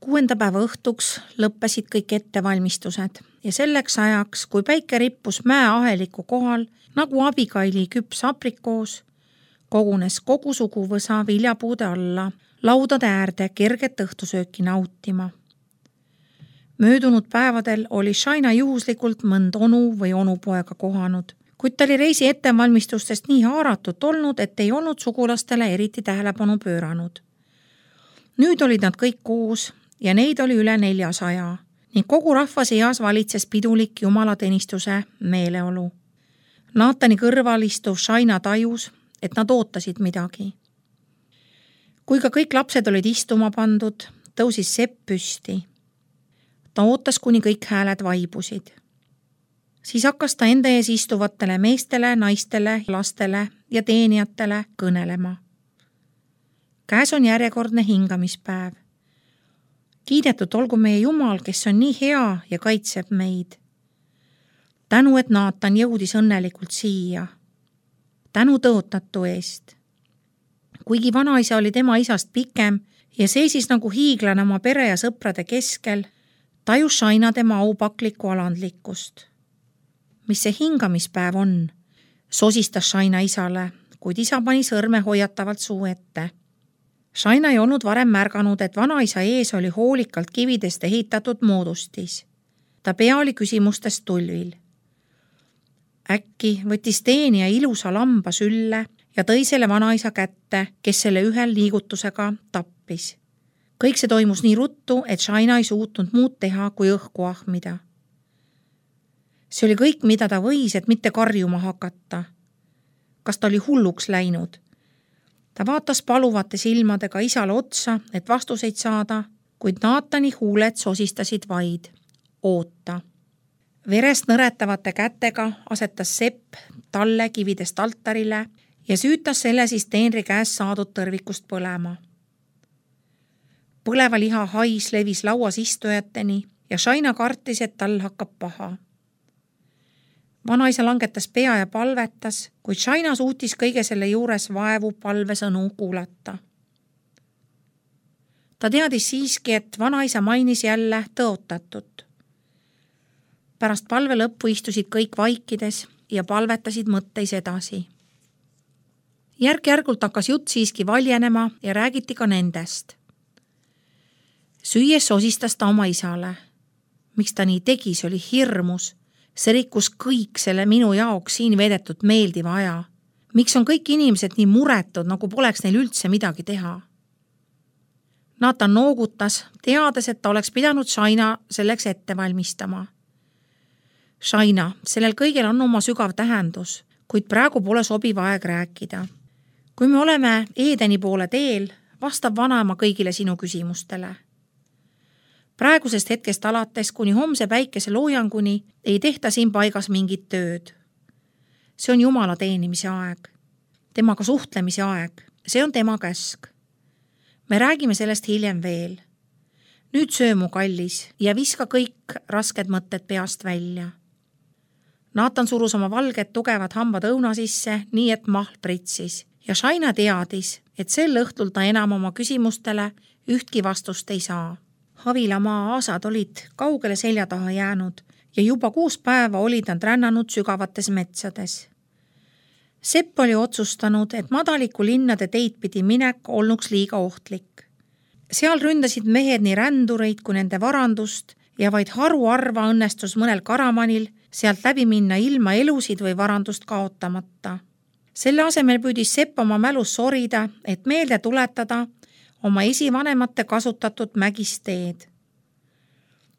6. päeva õhtuks lõppesid kõik ettevalmistused ja selleks ajaks, kui päike rippus mäeaheliku kohal, nagu Abigaili küps aprikoos, kogunes kogu suguvõsa viljapuude alla, laudade äärde kerget õhtusööki nautima. Möödunud päevadel oli Shaina juhuslikult mõnd onu või onupoega kohanud, kuid ta oli reisi ettevalmistustest nii haaratud olnud, et ei olnud sugulastele eriti tähelepanu pööranud. Nüüd olid nad kõik koos ja neid oli üle 400 ning kogu rahva seas valitses pidulik jumalateenistuse meeleolu. Naatani kõrval istuv Shaina tajus, et nad ootasid midagi. Kui ka kõik lapsed olid istuma pandud, tõusis Sepp püsti. Ta ootas, kuni kõik hääled vaibusid. Siis hakkas ta enda ees istuvatele meestele, naistele, lastele ja teenijatele kõnelema. Käes on järjekordne hingamispäev. Kiidetud olgu meie Jumal, kes on nii hea ja kaitseb meid. Tänu, et Naatan jõudis õnnelikult siia. Tänu tõotatu eest. Kuigi vanaisa oli tema isast pikem ja seisis nagu hiiglane oma pere ja sõprade keskel, tajus Shaina tema aupaklikku alandlikkust. Mis see hingamispäev on? Sosistas Shaina isale, kuid isa pani sõrme hoiatavalt suu ette. Shaina ei olnud varem märganud, et vanaisa ees oli hoolikalt kividest ehitatud moodustis. Ta pea oli küsimustest tulvil. Äkki võttis teenija ilusa lamba sülle ja tõi selle vanaisa kätte, kes selle ühel liigutusega tappis. Kõik see toimus nii ruttu, et Shaina ei suutnud muud teha, kui õhku ahmida. See oli kõik, mida ta võis, et mitte karjuma hakata. Kas ta oli hulluks läinud? Ta vaatas paluvate silmadega isale otsa, et vastuseid saada, kuid Naatani huuled sosistasid vaid. Oota. Verest nõretavate kätega asetas Sepp talle kividest altarile ja süütas selle siis teenri käest saadud tõrvikust põlema. Põleva liha hais levis lauas istujateni ja Shaina kartis, et tal hakkab paha. Vanaisa langetas pea ja palvetas, kuid Shaina suutis kõige selle juures vaevu palvesõnu kuulata. Ta teadis siiski, et vanaisa mainis jälle tõotatut. Pärast palve lõppu istusid kõik vaikides ja palvetasid mõtteis edasi. Järk-järgult hakkas jutt siiski valjenema ja räägiti ka nendest. Süües sosistas ta oma isale. Miks ta nii tegi, see oli hirmus. See rikkus kõik selle minu jaoks siin veedetud meeldiva aja. Miks on kõik inimesed nii muretud, nagu poleks neil üldse midagi teha? Naatan noogutas, teades, et ta oleks pidanud Shaina selleks ette valmistama. Shaina, sellel kõigel on oma sügav tähendus, kuid praegu pole sobiv aeg rääkida. Kui me oleme Eedeni poole teel, vastab vanaema kõigile sinu küsimustele. Praegusest hetkest alates kuni homse päikese loojanguni ei tehta siin paigas mingit tööd. See on Jumala teenimise aeg. Temaga suhtlemise aeg. See on tema käsk. Me räägime sellest hiljem veel. Nüüd söö mu kallis ja viska kõik rasked mõtted peast välja. Naatan surus oma valged tugevad hambad õuna sisse, nii et mahl pritsis ja Shaina teadis, et sel õhtul ta enam oma küsimustele ühtki vastust ei saa. Havilamaa aasad olid kaugele selja taha jäänud ja juba 6 päeva olid nad rännanud sügavates metsades. Sepp oli otsustanud, et madaliku linnade teid pidi minek olnuks liiga ohtlik. Seal ründasid mehed nii rändureid kui nende varandust ja vaid haruarva õnnestus mõnel karamanil sealt läbi minna ilma elusid või varandust kaotamata. Selle asemel püüdis Sepp oma mälus sorida, et meelde tuletada oma esivanemate kasutatud mägist teed.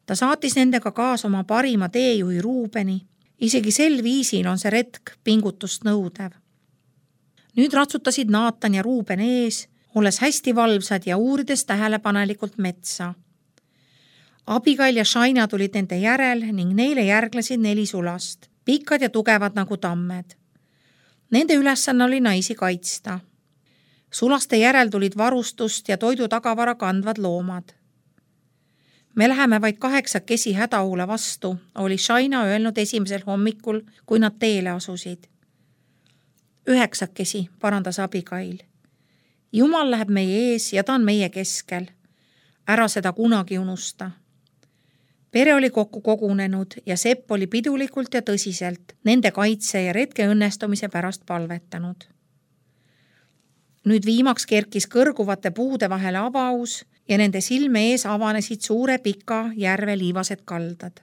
Ta saatis nendega kaasa oma parima teejuhi Ruubeni, isegi sel viisil on see retk pingutust nõudev. Nüüd ratsutasid Naatan ja Ruuben ees, olles hästi valvsad ja uurides tähelepanelikult metsa. Abigail ja Shaina tulid nende järel ning neile järglesid 4 sulast, pikad ja tugevad nagu tammed. Nende ülesanne oli naisi kaitsta. Sulaste järel tulid varustust ja toidu tagavara kandvad loomad. Me läheme vaid 8 hädaohule vastu, oli Shaina öelnud esimesel hommikul, kui nad teele asusid. 9, parandas Abigail. Jumal läheb meie ees ja ta on meie keskel. Ära seda kunagi unusta. Pere oli kokku kogunenud ja Sepp oli pidulikult ja tõsiselt nende kaitse ja retke õnnestumise pärast palvetanud. Nüüd viimaks kerkis kõrguvate puude vahele avaus ja nende silme ees avanesid suure pika järve liivased kaldad.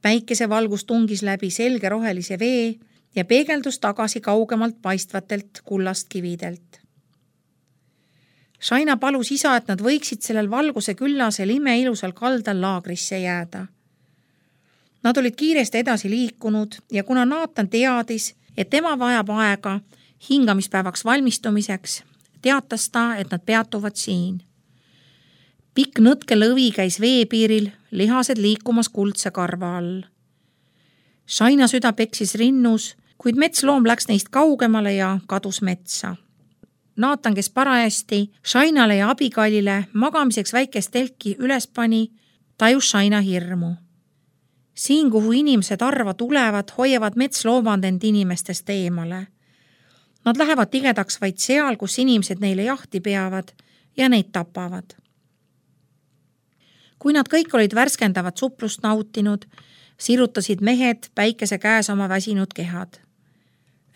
Päikese valgus tungis läbi selge rohelise vee ja peegeldus tagasi kaugemalt paistvatelt kullast kividelt. Shaina palus isa, et nad võiksid sellel valguse küllasel imeilusal kaldal laagrisse jääda. Nad olid kiiresti edasi liikunud ja kuna Naatan teadis, et tema vajab aega hingamispäevaks valmistumiseks, teatas ta, et nad peatuvad siin. Pikk nõtke lõvi käis veepiiril, lihased liikumas kuldse karva all. Shaina süda peksis rinnus, kuid metsloom läks neist kaugemale ja kadus metsa. Naatan, kes parajasti Shainale ja Abigailile magamiseks väikest telki üles pani, tajus Shaina hirmu. Siin, kuhu inimesed arva tulevad, hoiavad metsloomad end inimestest eemale. Nad lähevad tigedaks vaid seal, kus inimesed neile jahti peavad ja neid tapavad. Kui nad kõik olid värskendavat suplust nautinud, sirutasid mehed päikese käes oma väsinud kehad.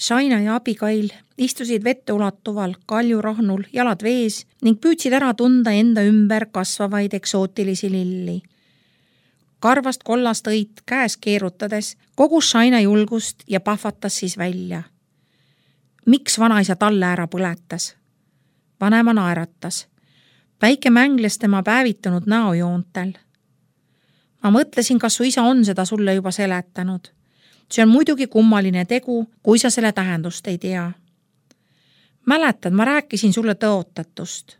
Shaina ja Abigail istusid vette ulatuval kaljurahnul jalad vees ning püüdsid ära tunda enda ümber kasvavaid eksootilisi lilli. Karvast kollast õit käes keerutades kogus Shaina julgust ja pahvatas siis välja. Miks vanaisa talle ära põletas? Vanema naeratas. Päike mängles tema päevitunud näojoontel. Ma mõtlesin, kas su isa on seda sulle juba seletanud. See on muidugi kummaline tegu, kui sa selle tähendust ei tea. Mäletad, ma rääkisin sulle tõotatust.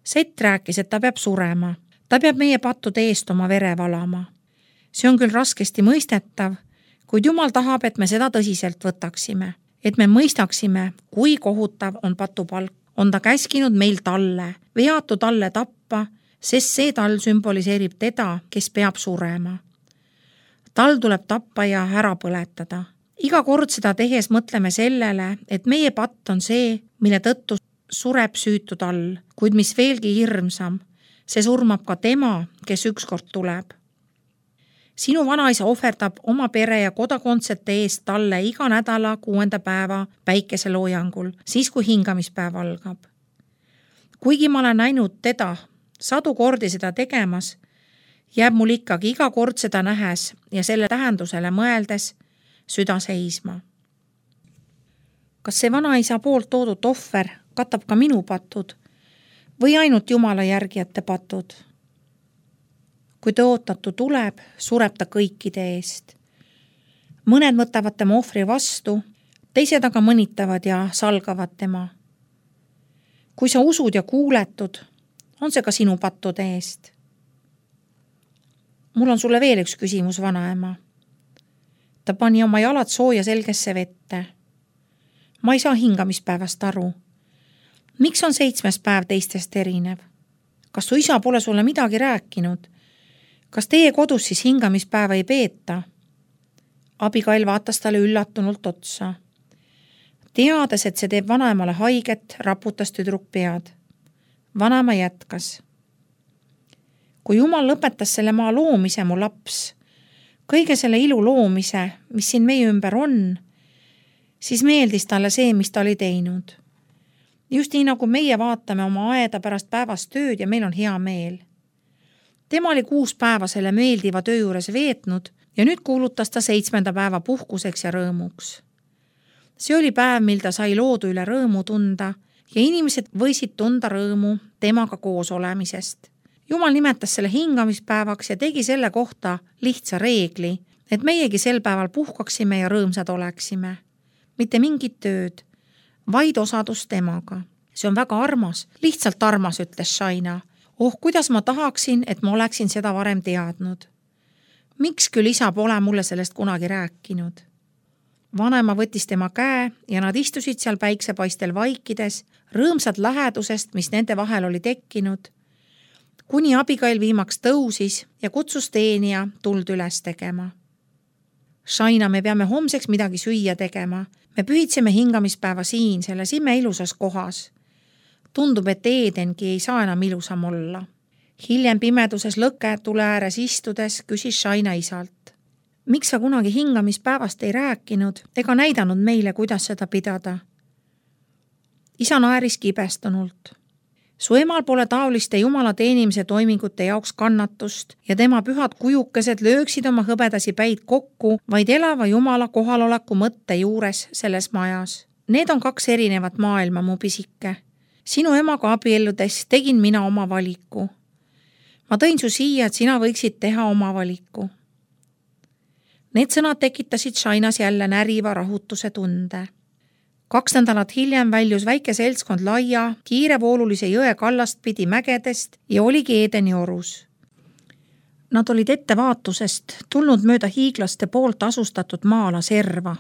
Sett rääkis, et ta peab surema. Ta peab meie pattude eest oma vere valama. See on küll raskesti mõistetav, kuid Jumal tahab, et me seda tõsiselt võtaksime. Et me mõistaksime, kui kohutav on patupalk. On ta käskinud meil talle, veatu talle tappa, sest see tal sümboliseerib teda, kes peab surema. Tal tuleb tappa ja ära põletada. Iga kord seda tehes mõtleme sellele, et meie patt on see, mille tõttu sureb süütu tal, kuid mis veelgi hirmsam, see surmab ka tema, kes ükskord tuleb. Sinu vanaisa ohverdab oma pere ja kodakondsete eest talle iga nädala 6. päeva päikeseloojangul, siis kui hingamispäev algab. Kuigi ma olen näinud teda 100 kordi seda tegemas, jääb mul ikkagi iga kord seda nähes ja selle tähendusele mõeldes süda seisma. Kas see vanaisa poolt toodud ohver katab ka minu patud või ainult Jumala järgijate patud? Kui tõotatu tuleb, sureb ta kõikide eest. Mõned võtavad tema ohvri vastu, teised aga mõnitavad ja salgavad tema. Kui sa usud ja kuuletud, on see ka sinu pattude eest. Mul on sulle veel üks küsimus, vanaema. Ta pani oma jalad sooja selgesse vette. Ma ei saa hingamispäevast aru. Miks on 7. päev teistest erinev? Kas su isa pole sulle midagi rääkinud? Kas teie kodus siis hingamispäeva ei peeta? Abigail vaatas talle üllatunult otsa. Teades, et see teeb vanaemale haiget, raputas tüdruk pead. Vanaema jätkas. Kui Jumal lõpetas selle maa loomise, mu laps, kõige selle ilu loomise, mis siin meie ümber on, siis meeldis talle see, mis ta oli teinud. Just nii nagu meie vaatame oma aeda pärast päevast tööd ja meil on hea meel. Tema oli 6 päeva selle meeldiva töö juures veetnud ja nüüd kuulutas ta 7. päeva puhkuseks ja rõõmuks. See oli päev, mil ta sai loodu üle rõõmu tunda ja inimesed võisid tunda rõõmu temaga koos olemisest. Jumal nimetas selle hingamispäevaks ja tegi selle kohta lihtsa reegli, et meiegi sel päeval puhkaksime ja rõõmsad oleksime. Mitte mingit tööd, vaid osadus temaga. See on väga armas, lihtsalt armas, ütles Shaina. Oh, kuidas ma tahaksin, et ma oleksin seda varem teadnud. Miks küll isa pole mulle sellest kunagi rääkinud? Vanema võttis tema käe ja nad istusid seal päiksepaistel vaikides, rõõmsad lähedusest, mis nende vahel oli tekkinud, kuni Abigail viimaks tõusis ja kutsus teenija tuld üles tegema. Shaina, me peame homseks midagi süüa tegema. Me pühitseme hingamispäeva siin, selles imeilusas kohas. Tundub, et Eedengi ei saa enam ilusam olla. Hiljem pimeduses lõketule ääres istudes küsis Shaina isalt. Miks sa kunagi hingamispäevast ei rääkinud ega näidanud meile, kuidas seda pidada? Isa naeris kibestunult. Su emal pole taoliste jumala teenimise toimingute jaoks kannatust ja tema pühad kujukesed lööksid oma hõbedasi päid kokku vaid elava jumala kohaloleku mõtte juures selles majas. Need on 2 erinevat maailma, mu pisike. Sinu emaga abielludes tegin mina oma valiku. Ma tõin su siia, et sina võiksid teha oma valiku. Need sõnad tekitasid Shainas jälle näriva rahutuse tunde. 2 nädalat hiljem väljus väike seltskond laia, kiirevoolulise jõe kallast pidi mägedest ja oligi Eedeni orus. Nad olid ettevaatusest tulnud mööda hiiglaste poolt asustatud maala serva,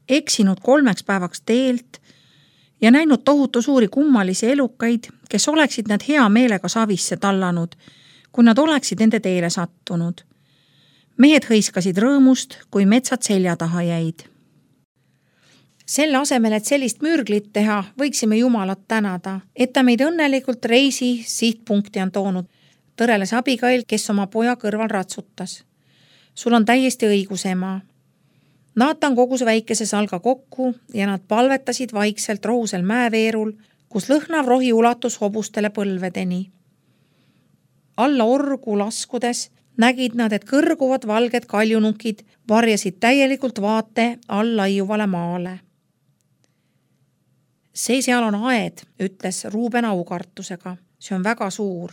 eksinud 3 päevaks teelt ja näinud tohutu suuri kummalisi elukaid, kes oleksid nad hea meelega savisse tallanud, kui nad oleksid nende teele sattunud. Mehed hõiskasid rõõmust, kui metsad selja taha jäid. Selle asemel, et sellist mürglit teha, võiksime Jumalat tänada, et ta meid õnnelikult reisi sihtpunkti on toonud, tõreles Abigail, kes oma poja kõrval ratsutas. Sul on täiesti õigus, ema. Naatan kogus väikese salga kokku ja nad palvetasid vaikselt rohusel mäeveerul, kus lõhnav rohi ulatus hobustele põlvedeni. Alla orgu laskudes nägid nad, et kõrguvad valged kaljunukid varjasid täielikult vaate all laiuvale maale. See seal on aed, ütles Ruuben aukartusega. See on väga suur.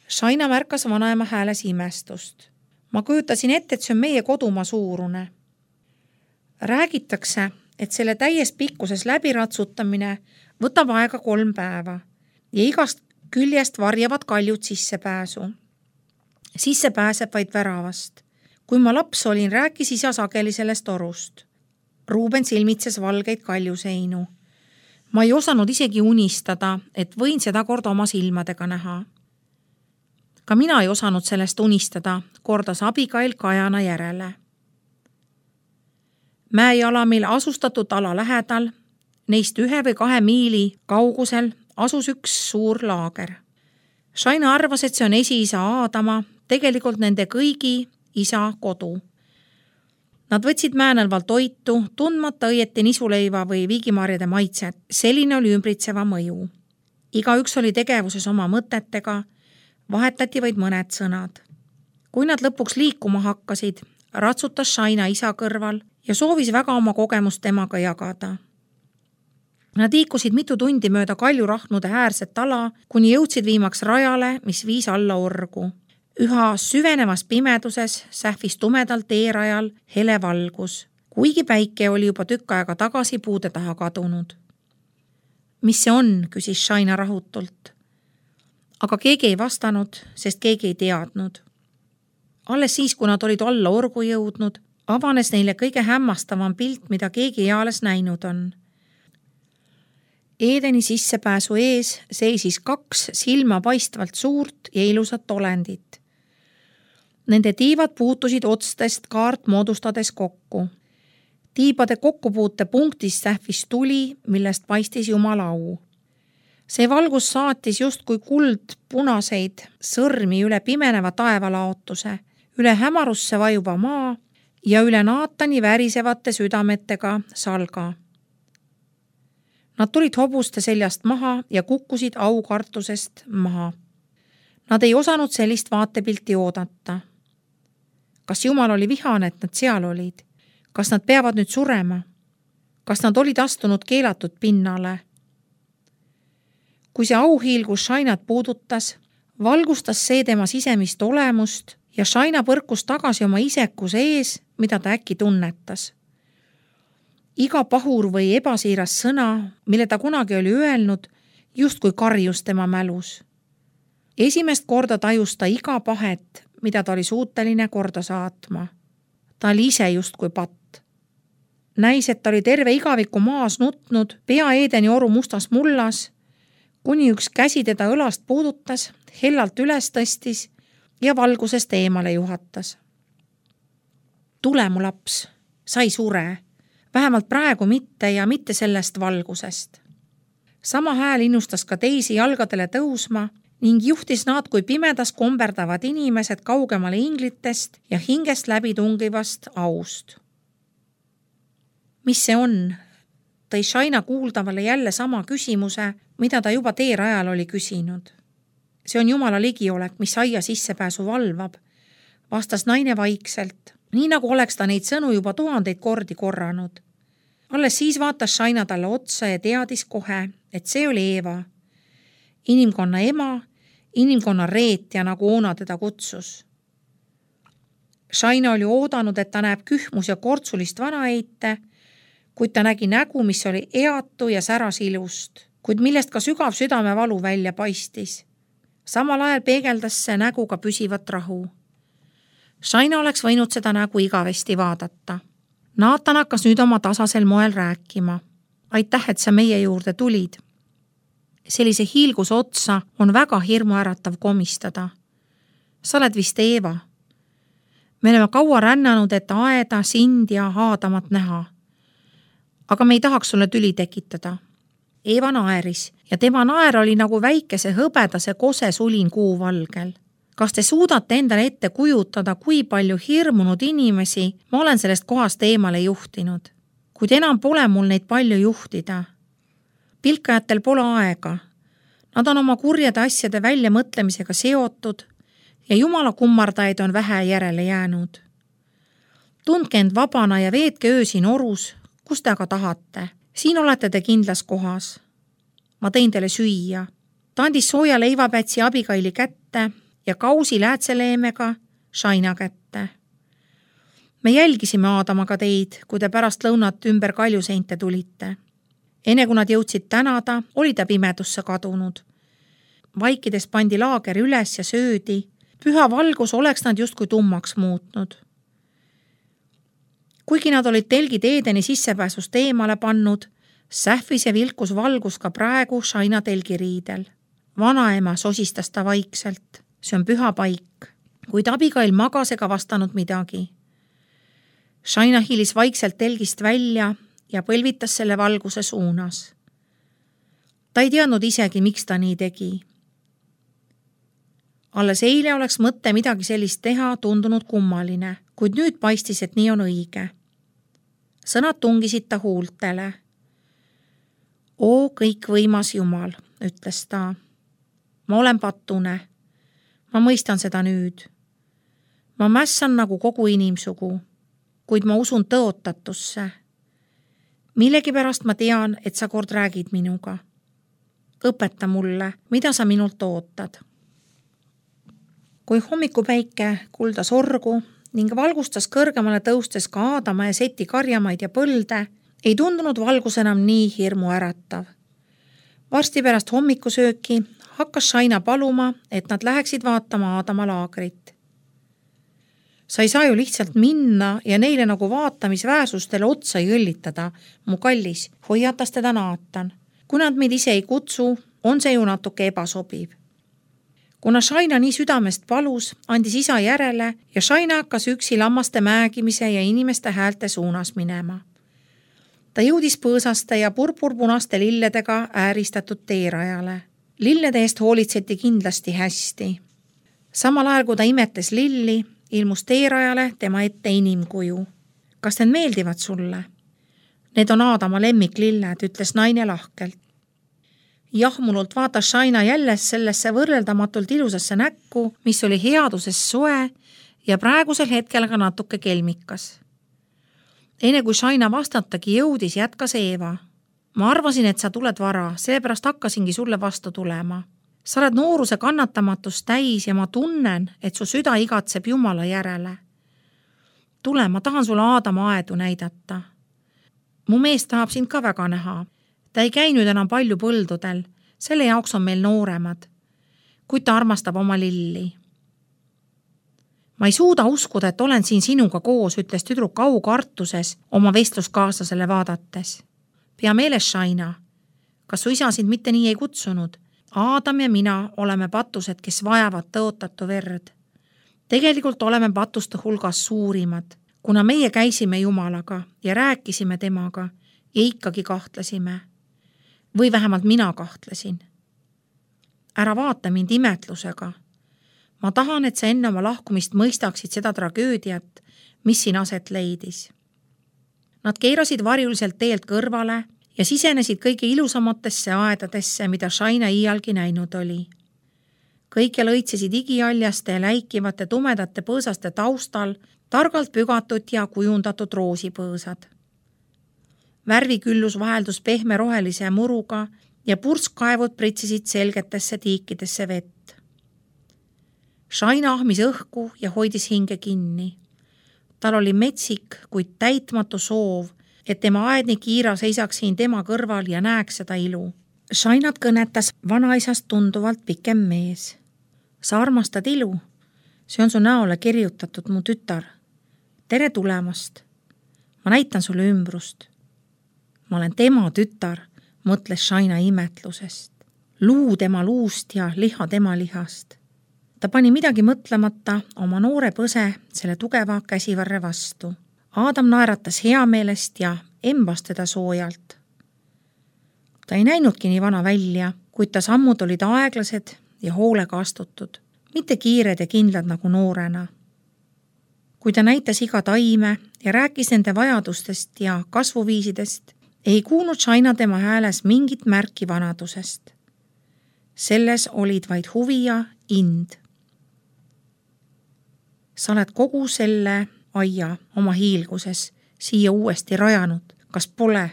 Shaina märkas vanaema hääles imestust. Ma kujutasin ette, et see on meie kodumaa suurune. Räägitakse, et selle täies pikkuses läbiratsutamine võtab aega 3 päeva ja igast küljest varjavad kaljud sissepääsu. Sisse pääseb vaid väravast. Kui ma laps olin, rääkis isa sageli sellest orust. Ruuben silmitses valgeid kaljuseinu. Ma ei osanud isegi unistada, et võin seda kord oma silmadega näha. Ka mina ei osanud sellest unistada, kordas Abigail Kajana järele. Mäejalamil asustatud ala lähedal, neist 1 või 2 miili kaugusel, asus üks suur laager. Shaina arvas, et see on esiisa Aadama, tegelikult nende kõigi isa kodu. Nad võtsid Määnelval toitu, tundmata õieti nisuleiva või viigimarjade maitset. Selline oli ümbritseva mõju. Igaüks oli tegevuses oma mõtetega, vahetati vaid mõned sõnad. Kui nad lõpuks liikuma hakkasid, ratsutas Shaina isa kõrval ja soovis väga oma kogemust temaga jagada. Nad liikusid mitu tundi mööda kaljurahnude äärset ala, kuni jõudsid viimaks rajale, mis viis alla orgu. Üha süvenevas pimeduses sähvis tumedalt teerajal hele valgus, kuigi päike oli juba tükk aega tagasi puude taha kadunud. Mis see on, küsis Shaina rahutult. Aga keegi ei vastanud, sest keegi ei teadnud. Alles siis, kui nad olid alla orgu jõudnud, avanes neile kõige hämmastavam pilt, mida keegi eales näinud on. Eedeni sissepääsu ees seisis 2 silma paistvalt suurt ja ilusat olendit. Nende tiivad puutusid otstest kaart moodustades kokku. Tiibade kokkupuute punktis sähvis tuli, millest paistis Jumala au. See valgus saatis justkui kuld punaseid sõrmi üle pimeneva taevalaotuse, üle hämarusse vajuva maa ja üle Naatani värisevate südametega salga. Nad tulid hobuste seljast maha ja kukkusid aukartusest maha. Nad ei osanud sellist vaatepilti oodata. Kas Jumal oli vihane, et nad seal olid? Kas nad peavad nüüd surema? Kas nad olid astunud keelatud pinnale? Kui see auhiilgus Shainat puudutas, valgustas see tema sisemist olemust ja Shaina põrkus tagasi oma isekuse ees, mida ta äkki tunnetas. Iga pahur või ebasiiras sõna, mille ta kunagi oli öelnud, justkui karjus tema mälus. Esimest korda tajus ta iga pahet, mida ta oli suuteline korda saatma. Ta oli ise justkui patt. Näis, et ta oli terve igaviku maas nutnud, pea Eedeni oru mustas mullas, kuni üks käsi teda õlast puudutas, hellalt üles tõstis ja valgusest eemale juhatas. Tule, mu laps, sa ei sure. Vähemalt praegu mitte ja mitte sellest valgusest. Sama hääl innustas ka teisi jalgadele tõusma ning juhtis nad kui pimedas komberdavad inimesed kaugemale inglitest ja hingest läbi tungivast aust. Mis see on? Tõi Shaina kuuldavale jälle sama küsimuse, mida ta juba teerajal oli küsinud. See on Jumala ligiolek, mis aia sissepääsu valvab, vastas naine vaikselt, nii nagu oleks ta neid sõnu juba 1000 kordi korranud. Alles siis vaatas Shaina talle otsa ja teadis kohe, et see oli Eeva, inimkonna ema, inimkonna reetja, nagu Oona teda kutsus. Shaina oli oodanud, et ta näeb kühmus ja kortsulist vanaeite, kuid ta nägi nägu, mis oli eatu ja säras ilust, kuid millest ka sügav südamevalu välja paistis. Samal ajal peegeldas see nägu ka püsivat rahu. Shaina oleks võinud seda nägu igavesti vaadata. Naatan hakkas nüüd oma tasasel moel rääkima. Aitäh, et sa meie juurde tulid. Sellise hiilgus otsa on väga hirmuäratav komistada. Sa oled vist Eeva. Me oleme kaua rännanud, et aeda, sind ja Aadamat näha. Aga me ei tahaks sulle tüli tekitada. Eeva naeris ja tema naer oli nagu väikese hõbedase kose sulin kuuvalgel. Kas te suudate endale ette kujutada, kui palju hirmunud inimesi ma olen sellest kohast eemale juhtinud? Kuid enam pole mul neid palju juhtida. Pilkajatel pole aega. Nad on oma kurjade asjade väljamõtlemisega seotud ja Jumala kummardajaid on vähe järele jäänud. Tundke end vabana ja veetke öö siin orus, kus te aga tahate. Siin olete te kindlas kohas. Ma tõin teile süüa. Ta andis sooja leivapätsi Abigaili kätte ja kausi läätseleemega Shaina kätte. Me jälgisime Aadamaga teid, kui te pärast lõunat ümber kaljuseinte tulite. Enne kui nad jõudsid tänada, oli ta pimedusse kadunud. Vaikides pandi laager üles ja söödi. Püha valgus oleks nad justkui tummaks muutnud. Kuigi nad olid telgid Eedeni sissepääsust eemale pannud, sähvis ja vilkus valgus ka praegu Shaina telgiriidel. Vanaema sosistas ta vaikselt. See on püha paik, kuid Abigail magas ega vastanud midagi. Shaina hiilis vaikselt telgist välja ja põlvitas selle valguse suunas. Ta ei teadnud isegi, miks ta nii tegi. Alles eile oleks mõtte midagi sellist teha tundunud kummaline, kuid nüüd paistis, et nii on õige. Sõnad tungisid ta huultele. O kõikvõimas Jumal, ütles ta. Ma olen patune. Ma mõistan seda nüüd. Ma mässan nagu kogu inimsugu, kuid ma usun tõotatusse. Millegipärast ma tean, et sa kord räägid minuga. Õpeta mulle, mida sa minult ootad. Kui hommikupäike kuldas orgu ning valgustas kõrgemale tõustes ka Aadama ja Seti karjamaid ja põlde, ei tundunud valgus enam nii hirmu äratav. Varsti pärast hommikusööki hakkas Shaina paluma, et nad läheksid vaatama Aadama laagrit. Sa ei saa ju lihtsalt minna ja neile nagu vaatamisväärsustele otsa jõllitada, mu kallis, hoiatas teda Naatan. Kui nad meid ise ei kutsu, on see ju natuke ebasobiv. Kuna Shaina nii südamest palus, andis isa järele ja Shaina hakkas üksi lammaste määgimise ja inimeste häälte suunas minema. Ta jõudis põõsaste ja purpurpunaste lilledega ääristatud teerajale. Lillede eest hoolitseti kindlasti hästi. Samal ajal, kui ta imetes lilli, ilmus teerajale tema ette inimkuju. Kas need meeldivad sulle? Need on Aadama lemmiklilled, ütles naine lahkelt. Jahmunult vaatas Shaina jälle sellesse võrreldamatult ilusasse näkku, mis oli headuses soe ja praegusel hetkel ka natuke kelmikas. Enne kui Shaina vastatagi jõudis, jätkas Eeva. Ma arvasin, et sa tuled vara, seepärast hakkasingi sulle vastu tulema. Sa oled nooruse kannatamatust täis ja ma tunnen, et su süda igatseb Jumala järele. Tule, ma tahan sulle Aadama aedu näidata. Mu mees tahab sind ka väga näha. Ta ei käi nüüd enam palju põldudel, selle jaoks on meil nooremad, kuid ta armastab oma lilli. Ma ei suuda uskuda, et olen siin sinuga koos, ütles tüdruk aukartuses oma vestluskaaslasele vaadates. Pea meeles, Shaina, kas su isa sind mitte nii ei kutsunud? Aadam ja mina oleme patused, kes vajavad tõotatu verd. Tegelikult oleme patuste hulgas suurimad, kuna meie käisime Jumalaga ja rääkisime temaga ja ikkagi kahtlesime. Või vähemalt mina kahtlesin. ära vaata mind imetlusega. Ma tahan, et sa enne oma lahkumist mõistaksid seda tragöödiat, mis siin aset leidis. Nad keerasid varjuliselt teelt kõrvale ja sisenesid kõige ilusamatesse aedadesse, mida Shaina iialgi näinud oli. Kõike lõitsesid igialjaste ja läikivate tumedate põõsaste taustal targalt pügatud ja kujundatud roosipõõsad. Värviküllus vaheldus pehme rohelise muruga ja purskkaevud pritsisid selgetesse tiikidesse vett. Shaina ahmis õhku ja hoidis hinge kinni. Tal oli metsik, kuid täitmatu soov, et tema aednik Iira seisaks siin tema kõrval ja näeks seda ilu. Shainat kõnetas vanaisast tunduvalt pikem mees. Sa armastad ilu? See on su näole kirjutatud, mu tütar. Tere tulemast. Ma näitan sulle ümbrust. Ma olen tema tütar, mõtles Shaina imetlusest. Luu tema luust ja liha tema lihast. Ta pani midagi mõtlemata oma noore põse selle tugeva käsivarre vastu. Aadam naeratas heameelest ja embas teda soojalt. Ta ei näinudki nii vana välja, kuid ta sammud olid aeglased ja hoolega astutud, mitte kiired ja kindlad nagu noorena. Kui ta näitas iga taime ja rääkis nende vajadustest ja kasvuviisidest, ei kuulnud Shaina tema hääles mingit märki vanadusest. Selles olid vaid huvi ja ind. Sa oled kogu selle aia oma hiilguses siia uuesti rajanud. Kas pole?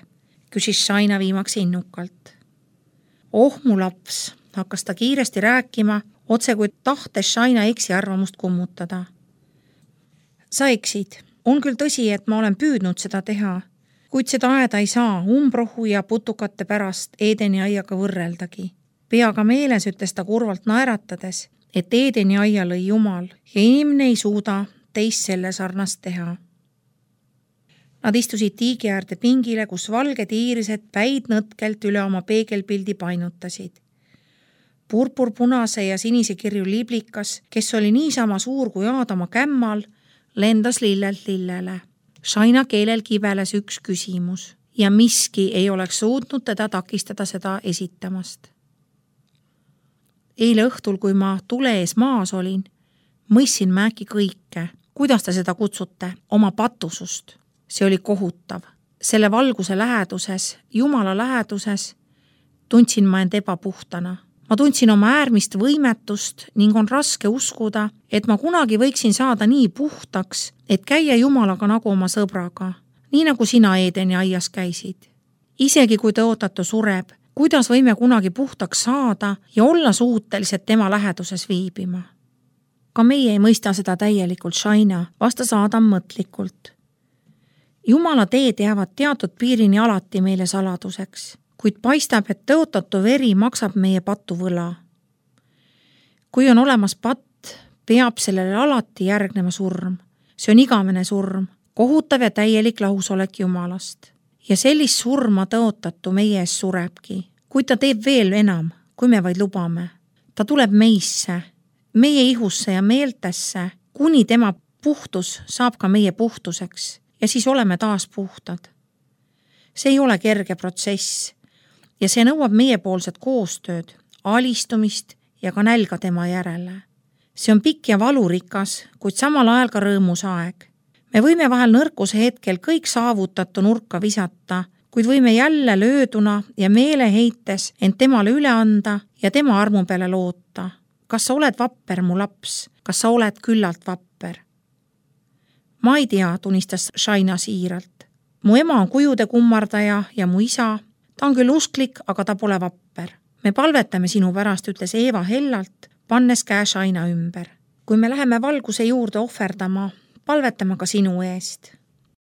Küsis Shaina viimaks innukalt. Oh, mu laps, hakkas ta kiiresti rääkima, otse kui tahtes Shaina eksiarvamust kummutada. Sa eksid. On küll tõsi, et ma olen püüdnud seda teha, kuid seda aeda ei saa umbrohu ja putukate pärast Eedeni aiaga võrreldagi. Peaga meeles ütles ta kurvalt naeratades, et Eedeni aia lõi Jumal ja inimene ei suuda teist selle sarnast teha. Nad istusid tiigi äärde pingile, kus valged iirised päid nõtkelt üle oma peegelpildi painutasid. Purpurpunase ja sinise kirju liblikas, kes oli niisama suur kui Aadama kämmal, lendas lillelt lillele. Shaina keelel kibeles üks küsimus ja miski ei oleks suutnud teda takistada seda esitamast. Eile õhtul, kui ma tule ees maas olin, mõissin ma äkki kõike. Kuidas te seda kutsute? Oma patusust. See oli kohutav. Selle valguse läheduses, Jumala läheduses, tundsin ma end ebapuhtana. Ma tundsin oma äärmist võimetust ning on raske uskuda, et ma kunagi võiksin saada nii puhtaks, et käia Jumalaga nagu oma sõbraga, nii nagu sina Eedeni aias käisid. Isegi kui tõotatu sureb, kuidas võime kunagi puhtaks saada ja olla suutelised tema läheduses viibima? Ka meie ei mõista seda täielikult, Shaina, vastas Aadam mõtlikult. Jumala teed jäävad teatud piirini alati meile saladuseks, kuid paistab, et tõotatu veri maksab meie patuvõla. Kui on olemas patt, peab sellele alati järgnema surm. See on igavene surm, kohutav ja täielik lahusolek Jumalast. Ja sellist surma tõotatu meie ees surebki, kuid ta teeb veel enam, kui me vaid lubame. Ta tuleb meisse, meie ihusse ja meeltesse, kuni tema puhtus saab ka meie puhtuseks ja siis oleme taas puhtad. See ei ole kerge protsess ja see nõuab meiepoolset koostööd, alistumist ja ka nälga tema järele. See on pikk ja valurikas, kuid samal ajal ka rõõmus aeg. Me võime vahel nõrkuse hetkel kõik saavutatu nurka visata, kuid võime jälle lööduna ja meeleheites end temale üle anda ja tema armu peale loota. Kas sa oled vapper, mu laps? Kas sa oled küllalt vapper? Ma ei tea, tunnistas Shaina siiralt. Mu ema on kujude kummardaja ja mu isa, ta on küll usklik, aga ta pole vapper. Me palvetame sinu pärast, ütles Eeva hellalt, pannes käe Shaina ümber. Kui me läheme valguse juurde ohverdama, palvetame ka sinu eest.